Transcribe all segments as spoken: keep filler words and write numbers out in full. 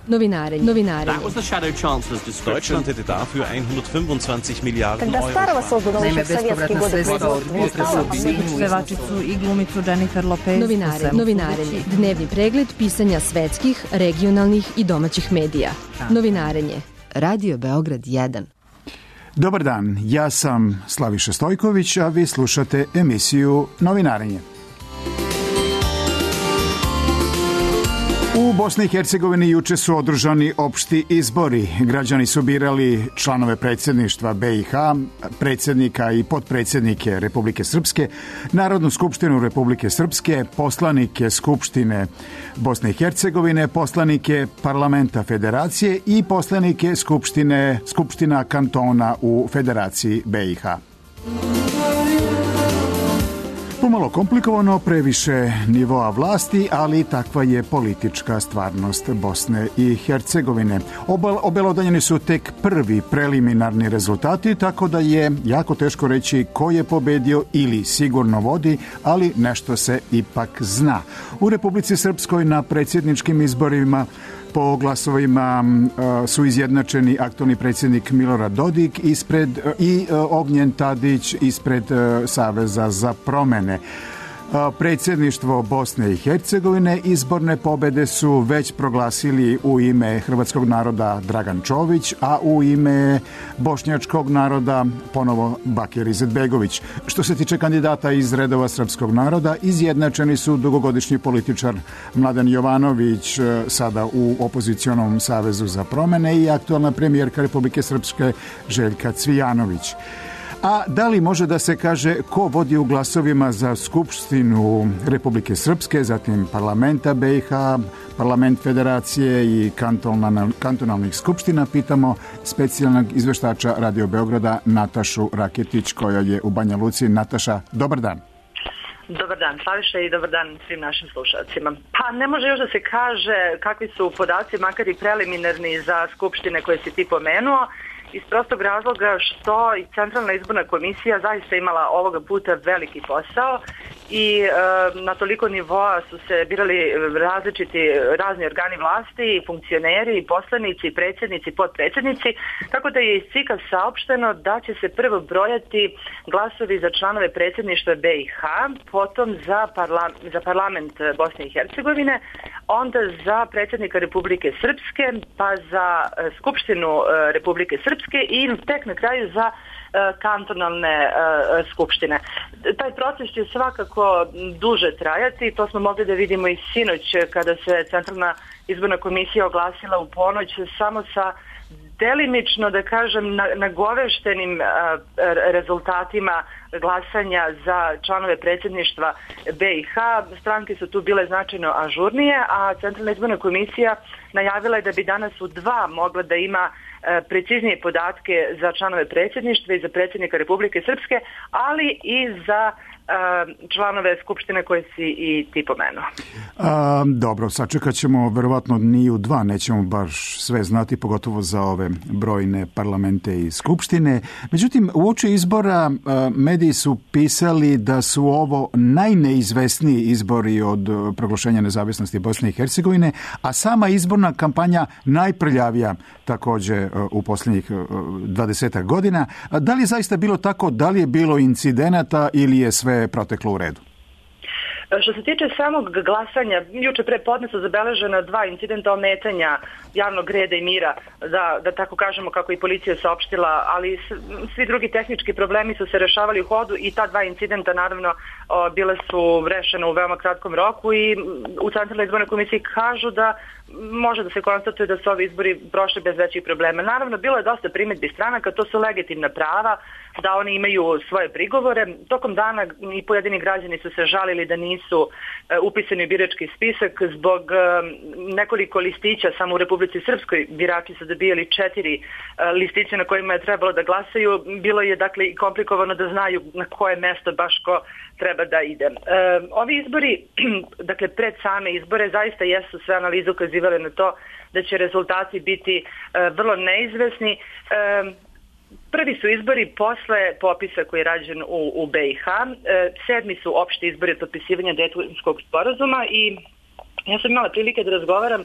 Novinarenje. Novinarenje. That was the shadow chancellor's description. Deutschland hätte dafür hundertfünfundzwanzig Miliarden Когда Euro. Старого создано еще в советские годы производства. Pevačicu i glumicu Jennifer Lopez. Novinare, novinarenje. Dnevni pregled pisanja svetskih, regionalnih i domaćih medija. Novinarenje. Radio Beograd jedan. Dobar dan, ja sam Slaviša Stojković, a vi slušate emisiju Novinarenje. U Bosni i Hercegovini juče su održani opšti izbori. Građani su birali članove predsjedništva B i H, predsjednika i potpredsjednike Republike Srpske, Narodnu skupštinu Republike Srpske, poslanike Skupštine Bosne i Hercegovine, poslanike Parlamenta Federacije i poslanike Skupštine, Skupština kantona u Federaciji B i H. Pomalo komplikovano, previše nivoa vlasti, ali takva je politička stvarnost Bosne i Hercegovine. Obelodanjeni su tek prvi preliminarni rezultati, tako da je jako teško reći ko je pobedio ili sigurno vodi, ali nešto se ipak zna. U Republici Srpskoj na predsjedničkim izborima po glasovima uh, su izjednačeni aktualni predsjednik Milorad Dodik ispred, uh, i uh, Ognjen Tadić ispred uh, Saveza za promene. Predsjedništvo Bosne i Hercegovine izborne pobjede su već proglasili u ime hrvatskog naroda Dragan Čović, a u ime bošnjačkog naroda ponovo Bakir Izetbegović. Što se tiče kandidata iz redova srpskog naroda, izjednačeni su dugogodišnji političar Mladen Jovanović, sada u opozicionom Savezu za promene, i aktualna premijerka Republike Srpske Željka Cvijanović. A da li može da se kaže ko vodi u glasovima za Skupštinu Republike Srpske, zatim parlamenta B i H, parlament Federacije i kantonalnih skupština? Pitamo specijalnog izveštača Radio Beograda Natašu Raketić, koja je u Banja Luci. Nataša, dobar dan. Dobar dan, Slaviša, i dobar dan svim našim slušalcima. Pa ne može još da se kaže kakvi su podaci, makar i preliminarni, za skupštine koje si ti pomenuo, iz prostog razloga što i Centralna izborna komisija zaista imala ovoga puta veliki posao i e, na toliko nivoa su se birali različiti razni organi vlasti, funkcioneri, poslanici, predsjednici, potpredsjednici, tako da je iz C I K-a saopšteno da će se prvo brojati glasovi za članove predsjedništva B i H, potom za, parla, za parlament Bosne i Hercegovine, onda za predsjednika Republike Srpske, pa za Skupštinu Republike Srpske i tek na kraju za kantonalne uh, skupštine. Taj proces će svakako duže trajati, to smo mogli da vidimo i sinoć kada se Centralna izborna komisija oglasila u ponoć samo sa delimično, da kažem, nagoveštenim uh, rezultatima glasanja za članove predsjedništva B i H. Stranke su tu bile značajno ažurnije, a Centralna izborna komisija najavila je da bi danas u dva mogla da ima preciznije podatke za članove predsjedništva i za predsjednika Republike Srpske, ali i za uh, članove skupštine koje si i ti pomenuo. A, dobro, sačekat ćemo verovatno ni u dva, nećemo baš sve znati, pogotovo za ove brojne parlamente i skupštine. Međutim, uoči izbora mediji su pisali da su ovo najneizvesniji izbori od proglašenja nezavisnosti Bosne i Hercegovine, a sama izborna kampanja najprljavija također u posljednjih dvadesetak godina. Da li je zaista bilo tako, da li je bilo incidenata ili je sve proteklo u redu? Što se tiče samog glasanja, juče pre podne su zabeležena dva incidenta ometanja javnog reda i mira, da, da tako kažemo kako i policija saopštila, ali svi drugi tehnički problemi su se rešavali u hodu i ta dva incidenta naravno o, bile su rešene u veoma kratkom roku i u Centralnoj izbornoj komisiji kažu da može da se konstatuje da su ovi izbori prošli bez većih problema. Naravno, bilo je dosta primjedbi stranaka, to su legitimna prava, da oni imaju svoje prigovore. Tokom dana i pojedini građani su se žalili da nisu uh, upisani u birački spisak zbog uh, nekoliko listića. Samo u Republici Srpskoj birači su dobijali četiri uh, listića na kojima je trebalo da glasaju. Bilo je dakle i komplikovano da znaju na koje mesto baš ko treba da ide. Uh, ovi izbori, dakle pred same izbore, zaista jesu sve analize ukazivale na to da će rezultati biti uh, vrlo neizvesni. Uh, Prvi su izbori posle popisa koji je rađen u, u B i H. E, sedmi su opšti izbori od potpisivanja Daytonskog sporazuma i ja sam imala prilike da razgovaram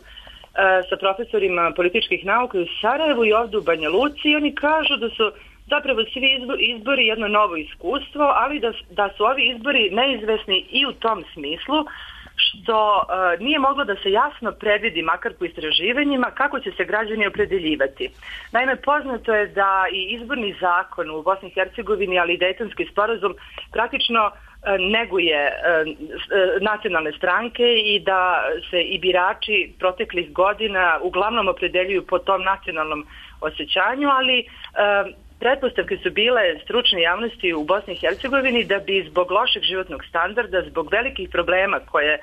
sa profesorima političkih nauka u Sarajevu i ovdje u Banja Luci i oni kažu da su zapravo svi izbori jedno novo iskustvo, ali da, da su ovi izbori neizvesni i u tom smislu što uh, nije moglo da se jasno predvidi, makar po istraživanjima, kako će se građani opredeljivati. Naime, poznato je da i izborni zakon u Bosni i Hercegovini, ali i Dejtonski sporazum praktično uh, neguje uh, uh, nacionalne stranke i da se i birači proteklih godina uglavnom opredeljuju po tom nacionalnom osjećanju, ali uh, pretpostavke su bile stručne javnosti u Bosni i Hercegovini da bi zbog lošeg životnog standarda, zbog velikih problema koje e,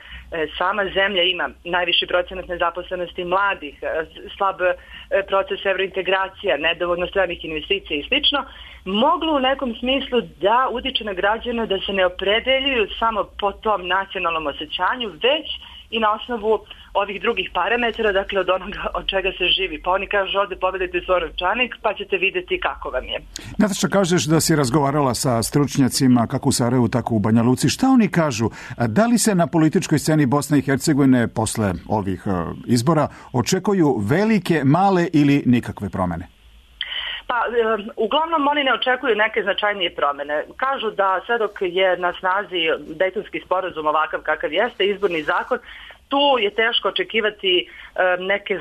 sama zemlja ima, najviši procenat nezaposlenosti mladih, e, slab e, proces evrointegracija, nedovoljno stranih investicija i slično, moglo u nekom smislu da utiče na građane da se ne opredeljuju samo po tom nacionalnom osjećanju, već i na osnovu ovih drugih parametara, dakle od onoga od čega se živi. Pa oni kažu ovdje pobedajte svoj novčanik pa ćete vidjeti kako vam je. Nataša, kažeš da si razgovarala sa stručnjacima kako u Sarajevu, tako u Banja Luci. Šta oni kažu? Da li se na političkoj sceni Bosne i Hercegovine posle ovih izbora očekuju velike, male ili nikakve promjene? Pa, e, uglavnom oni ne očekuju neke značajnije promjene. Kažu da sve dok je na snazi Dejtonski sporazum ovakav kakav jeste, izborni zakon, tu je teško očekivati e, neke,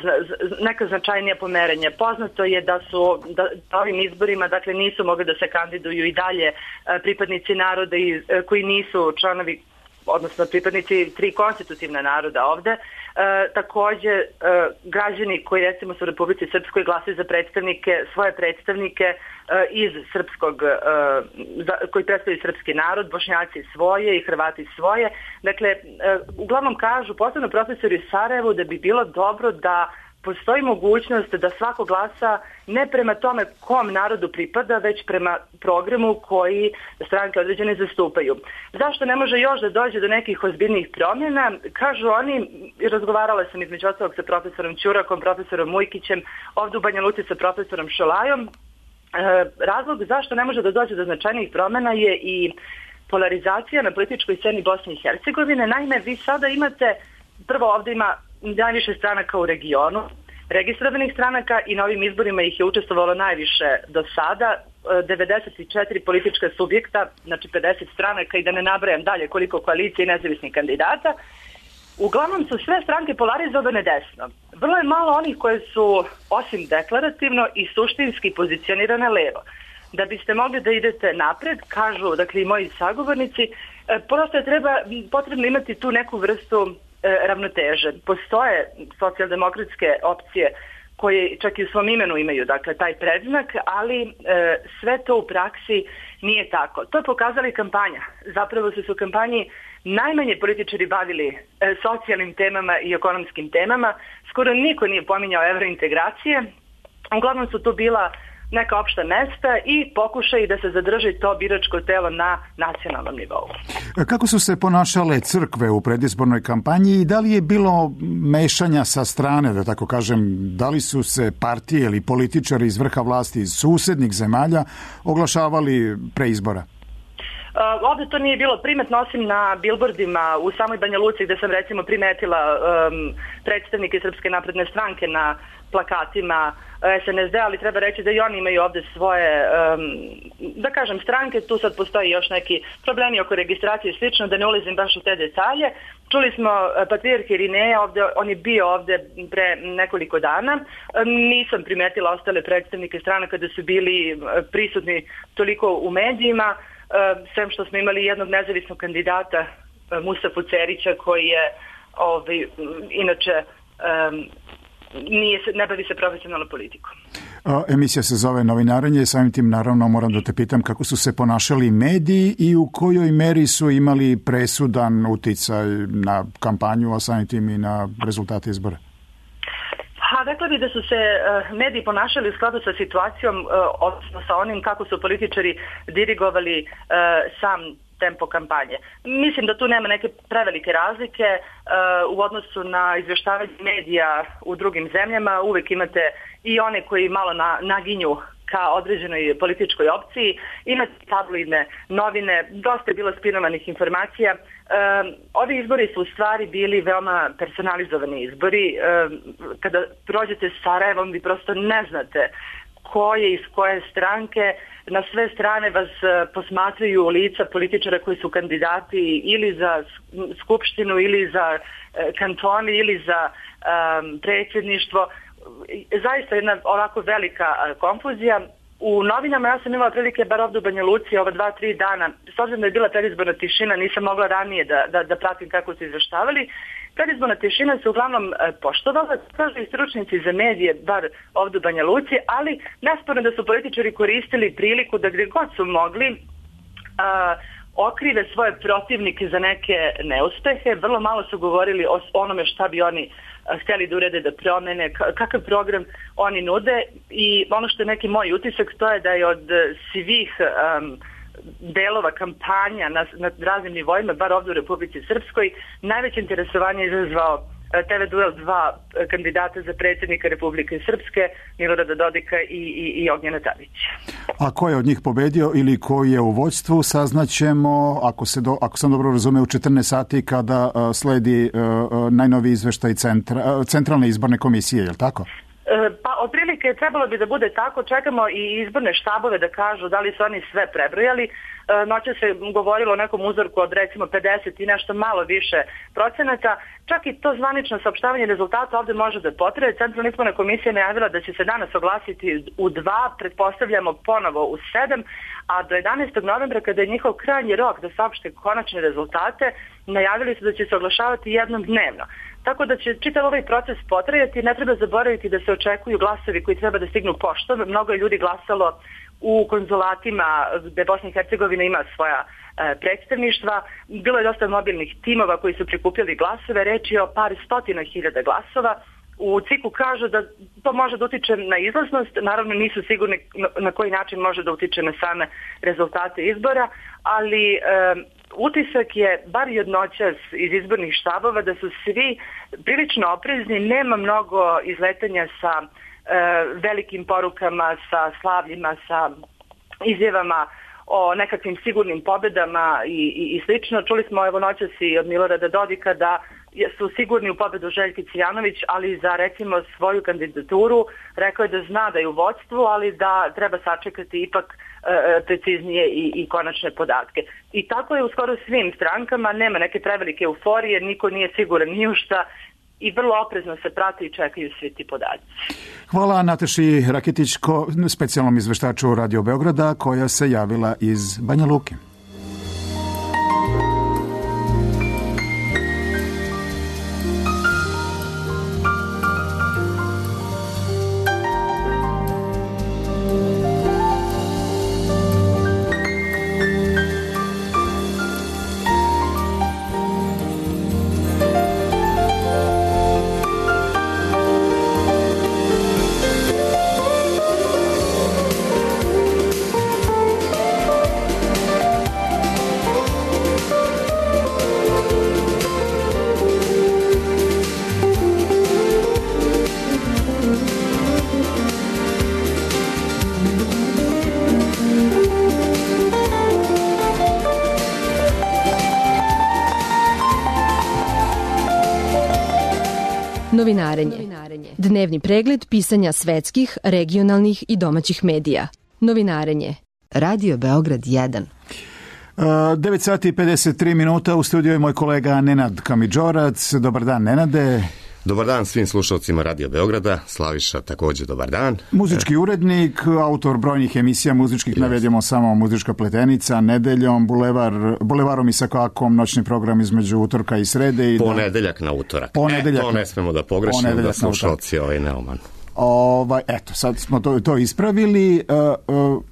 neka značajnija pomerenja. Poznato je da su da, da ovim izborima dakle nisu mogli da se kandiduju i dalje e, pripadnici naroda i, e, koji nisu članovi, odnosno pripadnici tri konstitutivna naroda ovde. E, takođe, e, građani koji recimo su u Republici Srpskoj glasaju za predstavnike, svoje predstavnike e, iz srpskog, e, za, koji predstavljaju srpski narod, Bošnjaci svoje i Hrvati svoje. Dakle, e, uglavnom kažu, posebno profesori u Sarajevu, da bi bilo dobro da postoji mogućnost da svako glasa ne prema tome kom narodu pripada, već prema programu koji stranke određene zastupaju. Zašto ne može još da dođe do nekih ozbiljnih promjena? Kažu oni, razgovarala sam između ostalog sa profesorom Ćurakom, profesorom Mujkićem, ovdje u Banja Luci sa profesorom Šolajom. E, razlog zašto ne može da dođe do značajnih promjena je i polarizacija na političkoj sceni Bosne i Hercegovine. Naime, vi sada imate, prvo ovdje ima najviše stranaka u regionu, registrovanih stranaka i na ovim izborima ih je učestvovalo najviše do sada, devedeset četiri politička subjekta, znači pedeset stranaka i da ne nabrajam dalje koliko koalicije i nezavisnih kandidata. Uglavnom su sve stranke polarizovane desno. Vrlo je malo onih koje su osim deklarativno i suštinski pozicionirane levo. Da biste mogli da idete napred, kažu dakle i moji sagovornici, prosto je treba, potrebno imati tu neku vrstu ravnoteže. Postoje socijaldemokratske opcije koje čak i u svom imenu imaju dakle taj predznak, ali e, sve to u praksi nije tako. To je pokazala i kampanja. Zapravo su se u kampanji najmanje političari bavili e, socijalnim temama i ekonomskim temama. Skoro niko nije pominjao evrointegracije. Uglavnom su tu bila neka opšta mesta i pokušaj da se zadrži to biračko telo na nacionalnom nivou. Kako su se ponašale crkve u predizbornoj kampanji i da li je bilo mešanja sa strane, da tako kažem, da li su se partije ili političari iz vrha vlasti iz susednih zemalja oglašavali pre izbora? Uh, ovdje to nije bilo primetno osim na bilbordima u samoj Banja Luci gdje sam recimo primetila um, predstavnike Srpske napredne stranke na plakatima S N S D, ali treba reći da i oni imaju ovdje svoje, um, da kažem, stranke. Tu sad postoji još neki problemi oko registracije i slično, da ne ulazim baš u te detalje. Čuli smo patrijarh Irineja, ovdje, on je bio ovdje pre nekoliko dana. Um, nisam primetila ostale predstavnike stranaka da su bili prisutni toliko u medijima, um, sem što smo imali jednog nezavisnog kandidata, um, Mustafu Cerića, koji je ovaj, inače um, Nije se, ne bavi se profesionalnom politikom. Emisija se zove Novinarenje, samim tim naravno moram da te pitam kako su se ponašali mediji i u kojoj meri su imali presudan uticaj na kampanju, a samim tim i na rezultate izbora? Pa rekla bih da su se uh, mediji ponašali u skladu sa situacijom, uh, odnosno sa onim kako su političari dirigovali uh, sam tempo kampanje. Mislim da tu nema neke prevelike razlike uh, u odnosu na izvještavanje medija u drugim zemljama. Uvijek imate i one koji malo na, naginju ka određenoj političkoj opciji, imate tabloidne novine, dosta je bilo spinovanih informacija. E, ovi izbori su u stvari bili veoma personalizovani izbori. E, kada prođete s Sarajevom, vi prosto ne znate ko je iz koje stranke. Na sve strane vas posmatraju lica političara koji su kandidati ili za skupštinu, ili za kantoni, ili za um, predsjedništvo. Zaista jedna ovako velika konfuzija. U novinama ja sam imala prilike, bar ovdje u Banja Luci, ova dva, tri dana, s obzirom da je bila predizborna tišina, nisam mogla ranije da, da, da pratim kako su izveštavali. Predizborna tišina se uglavnom e, poštovala, kažu i stručnici za medije, bar ovdje u Banja Luci, ali nesporno da su političari koristili priliku da gdje god su mogli a, okrive svoje protivnike za neke neuspehe. Vrlo malo su govorili o onome šta bi oni htjeli da urede, da promene, kakav program oni nude, i ono što je neki moj utisak, to je da je od svih um, delova kampanja na, na raznim nivoima, bar ovdje u Republici Srpskoj, najveće interesovanje izazvao te ve duel dva kandidata za predsjednika Republike Srpske, Milorada Dodika i, i, i Ognjena Tadića. A ko je od njih pobedio ili ko je u vođstvu, saznaćemo, ako, se do, ako sam dobro razumeo, u četrnaest sati kada uh, sledi uh, najnoviji izveštaj centra, uh, Centralne izborne komisije, je li tako? Pa otprilike trebalo bi da bude tako. Čekamo i izborne štabove da kažu da li su oni sve prebrojali. Noće se govorilo o nekom uzorku od recimo pedeset i nešto malo više procenata. Čak i to zvanično saopštavanje rezultata ovdje može da potraje. Centralna izborna komisija najavila da će se danas oglasiti u dva, pretpostavljamo ponovo u sedam, a do jedanaestog novembra, kada je njihov krajnji rok da saopšte konačne rezultate, najavili su da će se oglašavati jednom dnevno. Tako da će čitav ovaj proces potrajati. Ne treba zaboraviti da se očekuju glasovi koji treba da stignu poštom. Mnogo je ljudi glasalo u konzulatima gde Bosna i Hercegovina ima svoja e, predstavništva. Bilo je dosta mobilnih timova koji su prikupljali glasove. Reč je o par stotina hiljada glasova. U C I K-u kažu da to može da utiče na izlaznost, naravno nisu sigurni na koji način može da utiče na same rezultate izbora, ali e, utisak je, bar i od noćas iz izbornih štabova, da su svi prilično oprezni, nema mnogo izletanja sa e, velikim porukama, sa slavljima, sa izjavama o nekakvim sigurnim pobedama i, i, i slično. Čuli smo evo noćas i od Milorada Dodika da su sigurni u pobedu Željke Cijanović, ali za recimo svoju kandidaturu rekao je da zna da je u vodstvu, ali da treba sačekati ipak e, preciznije i, i konačne podatke. I tako je u skoro svim strankama, nema neke prevelike euforije, niko nije siguran ni u šta i vrlo oprezno se prate i čekaju svi ti podaci. Hvala Nataši Raketić, specijalnom izveštaču Radio Beograda, koja se javila iz Banja Luke. Novinarenje. Dnevni pregled pisanja svetskih, regionalnih i domaćih medija. Novinarenje. Radio Beograd jedan. devet sati i pedeset tri minuta, u studiju je moj kolega Nenad Kamidžorac. Dobar dan, Nenade. Dobar dan svim slušalcima Radio Beograda. Slaviša, također dobar dan. Muzički urednik, autor brojnih emisija muzičkih, yes. Navedemo samo Muzička pletenica, Nedeljom, Bulevar, Bulevarom i Sakakom, noćni program između utorka i srede. I Ponedeljak na utorak. Ponedeljak e, to ne smemo da pogrešimo, da slušalci ovaj neoman. Ovaj, eto, sad smo to, to ispravili. Uh, uh,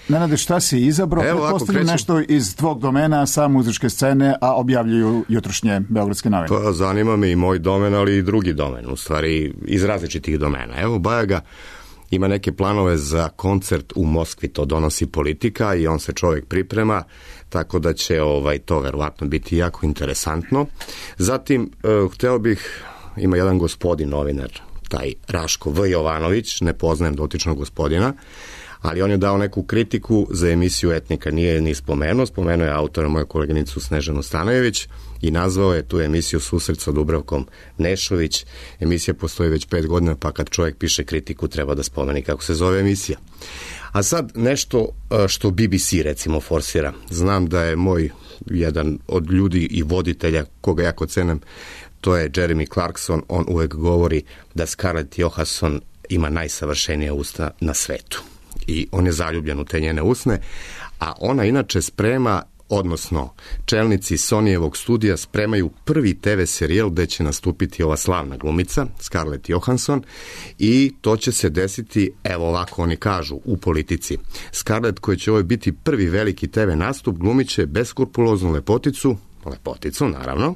Nenade, šta si izabrao? Pretpostavljam nešto iz tvog domena sa muzičke scene, a objavljuju jutrošnje beogradske novine. Pa zanima me i moj domen, ali i drugi domen, u stvari iz različitih domena. Evo, Bajaga ima neke planove za koncert u Moskvi, to donosi Politika i on se čovjek priprema, tako da će ovaj, to verovatno biti jako interesantno. Zatim, uh, hteo bih, ima jedan gospodin novinar, taj Raško V. Jovanović, ne poznajem dotičnog gospodina, Ali on je dao neku kritiku za emisiju Etnika, nije je ni spomenuo, spomenuo je autora, moju koleginicu Snežanu Stanojević, i nazvao je tu emisiju Susret sa Dubravkom Nešović. Emisija postoji već pet godina, pa kad čovjek piše kritiku treba da spomeni kako se zove emisija. A sad nešto što B B C recimo forsira. Znam da je moj jedan od ljudi i voditelja koga jako cenem, to je Jeremy Clarkson. On uvek govori da Scarlett Johansson ima najsavršenije usta na svetu. I on je zaljubljen u te njene usne, a ona inače sprema, odnosno čelnici Sonyjevog studija spremaju prvi te ve serijal gde će nastupiti ova slavna glumica, Scarlett Johansson, i to će se desiti, evo ovako oni kažu, u Politici. Scarlett, koji će ovo biti prvi veliki te ve nastup, glumit će beskrupuloznu lepoticu, lepoticu naravno,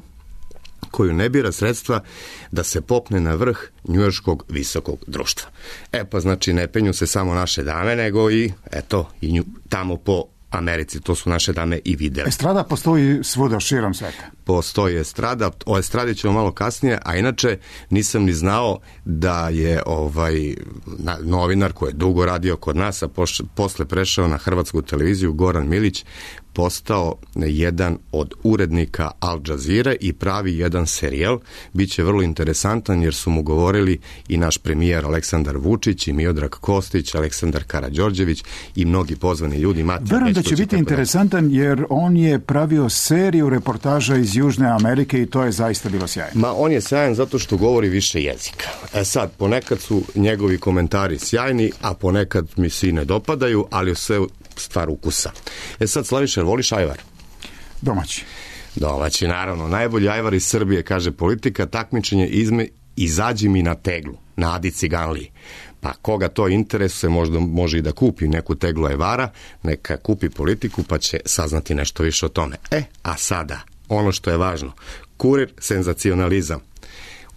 koju ne bira sredstva da se popne na vrh njujorškog visokog društva. E pa znači ne penju se samo naše dame, nego i eto, i nju, tamo po Americi, to su naše dame i videli. Estrada postoji svuda širom sveta. Postoji estrada, o estradi ćemo malo kasnije, a inače nisam ni znao da je ovaj novinar koji je dugo radio kod nas, a poš, posle prešao na hrvatsku televiziju, Goran Milić, postao jedan od urednika Al Jazeere i pravi jedan serijal. Biće vrlo interesantan jer su mu govorili i naš premijer Aleksandar Vučić i Miodrag Kostić, Aleksandar Karađorđević i mnogi pozvani ljudi. Verujem da će biti interesantan jer on je pravio seriju reportaža iz Južne Amerike i to je zaista bilo sjajno. Ma on je sjajan zato što govori više jezika. E sad, ponekad su njegovi komentari sjajni, a ponekad mi se i ne dopadaju, ali sve stvar ukusa. E sad, Slaviša, voliš ajvar? Domaći. Domaći, naravno. Najbolji ajvar iz Srbije, kaže Politika, takmičenje izme, izađi mi na teglu, na Adi Ciganliji. Pa koga to interesuje, možda može i da kupi neku teglu ajvara, neka kupi Politiku, pa će saznati nešto više o tome. E, a sada, ono što je važno, Kurir, senzacionalizam.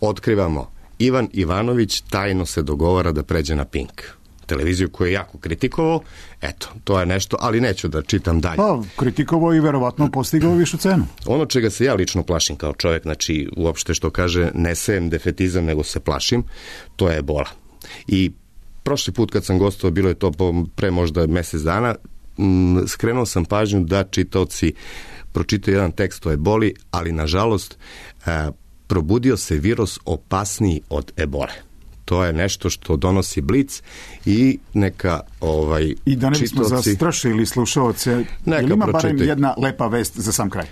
Otkrivamo, Ivan Ivanović tajno se dogovara da pređe na Pink. Televiziju koju je jako kritikovao, eto, to je nešto, ali neću da čitam dalje. Pa, kritikovao i verovatno postigao višu cenu. Ono čega se ja lično plašim kao čovjek, znači uopšte što kaže, ne sejem defetizam, nego se plašim, to je ebola. I prošli put kad sam gostovao, bilo je to pre možda mjesec dana, m, skrenuo sam pažnju da čitaoci pročitaju jedan tekst o eboli, ali nažalost e, probudio se virus opasniji od ebole. To je nešto što donosi Blic i neka ovaj I da ne bismo čitaoci, zastrašili slušaoce, ili ima barem jedna lepa vest za sam kraj?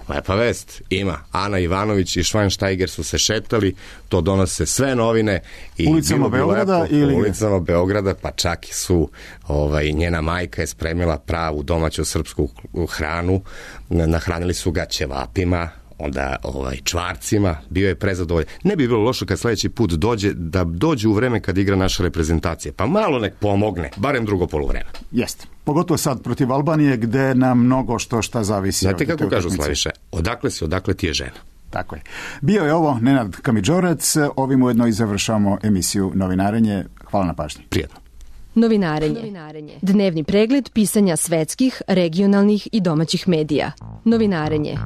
Lepa vest ima. Ana Ivanović i Schweinsteiger su se šetali, to donose sve novine. I ulicama Beograda lepo, ili... ulicama Beograda, pa čak su ovaj, njena majka je spremila pravu domaću srpsku hranu, nahranili su ga ćevapima, onda ovaj, čvarcima, bio je prezadovoljan. Ne bi bilo loše kad sljedeći put dođe, da dođe u vreme kad igra naša reprezentacija, pa malo nek pomogne, barem drugo poluvreme. Jeste. Pogotovo sad protiv Albanije, gde nam mnogo što šta zavisi. Znate kako kažu, Slaviše, odakle si, odakle ti je žena. Tako je. Bio je ovo Nenad Kamidžorac, ovim ujedno i završamo emisiju Novinarenje. Hvala na pažnji. Prijetno. Novinarenje. Novinarenje. Dnevni pregled pisanja svetskih, regionalnih i domaćih medija. Novinarenje.